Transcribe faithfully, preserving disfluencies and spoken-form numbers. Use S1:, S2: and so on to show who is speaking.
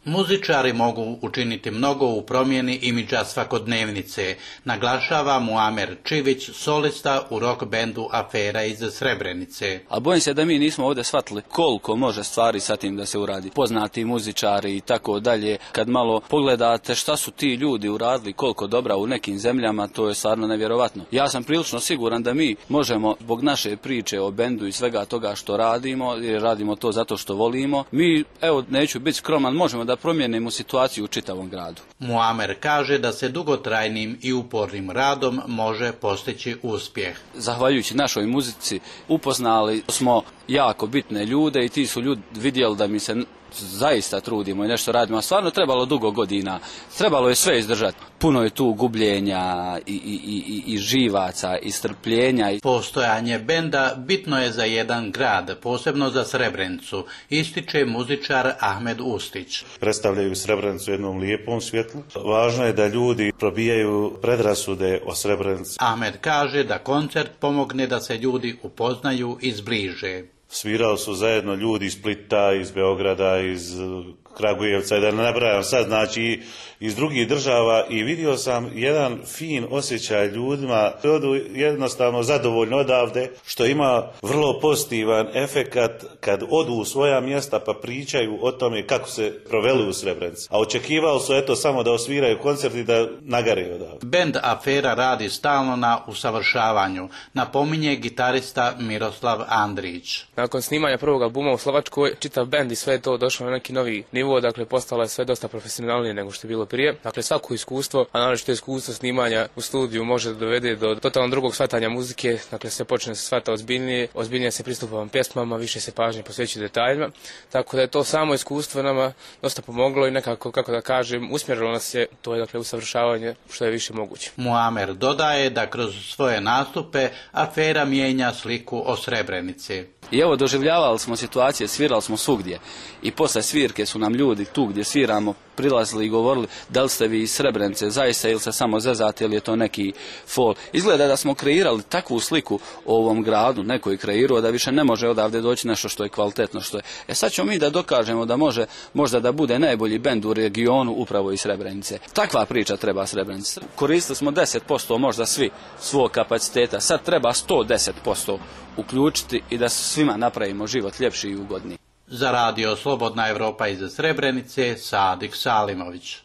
S1: Muzičari mogu učiniti mnogo u promjeni imidža svakodnevnice, naglašava Muamer Čivić, solista u rock bendu Afera iz Srebrenice.
S2: A bojim se da mi nismo ovdje shvatili koliko može stvari sa tim da se uradi. Poznati muzičari i tako dalje. Kad malo pogledate šta su ti ljudi uradili, koliko dobra u nekim zemljama, to je stvarno nevjerovatno. Ja sam prilično siguran da mi možemo zbog naše priče o bendu i svega toga što radimo, jer radimo to zato što volimo, mi, evo, neću biti skroman, možemo da promijenimo situaciju u čitavom gradu.
S1: Muamer kaže da se dugotrajnim i upornim radom može postići uspjeh.
S2: Zahvaljujući našoj muzici upoznali smo jako bitne ljude i ti su ljudi vidjeli da mi se zaista trudimo i nešto radimo, a stvarno trebalo dugo godina, trebalo je sve izdržati. Puno je tu gubljenja i, i, i, i živaca i strpljenja.
S1: Postojanje benda bitno je za jedan grad, posebno za Srebrenicu, ističe muzičar Ahmed Ustić.
S3: Predstavljaju Srebrenicu u jednom lijepom svjetlu. Važno je da ljudi probijaju predrasude o Srebrenici.
S1: Ahmed kaže da koncert pomogne da se ljudi upoznaju i zbliže.
S3: Svirali su zajedno ljudi iz Splita, iz Beograda, iz Kragujevca, da ne nabrajam sad, znači iz drugih država, i vidio sam jedan fin osjećaj ljudima, odu jednostavno zadovoljno odavde, što ima vrlo pozitivan efekat kad odu u svoja mjesta pa pričaju o tome kako se proveli u Srebrenici. A očekivali su eto samo da osviraju koncert i da nagare odavde.
S1: Bend Afera radi stalno na usavršavanju, napominje gitarista Miroslav Andrić.
S4: Nakon snimanja prvog albuma u Slovačkoj, čitav bend i sve je to došlo na neki novi nivo, dakle postalo je sve dosta profesionalnije nego što je bilo prije. Dakle, svako iskustvo, a naročito iskustvo snimanja u studiju može da dovede do totalno drugog shvatanja muzike, dakle sve počne se shvata ozbiljnije, ozbiljnije se pristupa pjesmama, više se pažnje posvećuje detaljima, tako da je to samo iskustvo nama dosta pomoglo i nekako, kako da kažem, usmjerilo nas je, to je dakle usavršavanje što je više moguće.
S1: Muamer dodaje da kroz svoje nastupe Afera mijenja sliku o Srebrenici.
S2: I evo, doživljavali smo situacije, svirali smo svugdje i posle svirke su nam ljudi tu gdje sviramo prilazili i govorili da li ste vi iz Srebrenice zaista ili se samo zezate ili je to neki fol. Izgleda da smo kreirali takvu sliku o ovom gradu, neko je kreirao da više ne može odavde doći nešto što je kvalitetno. Što je. E sad ćemo mi da dokažemo da može možda da bude najbolji bend u regionu upravo iz Srebrenice. Takva priča treba Srebrenici. Koristili smo deset posto možda svi svog kapaciteta, sad treba sto deset posto uključiti i da svima napravimo život ljepši i ugodniji.
S1: Za radio Slobodna Evropa iz Srebrenice, Sadik Salimović.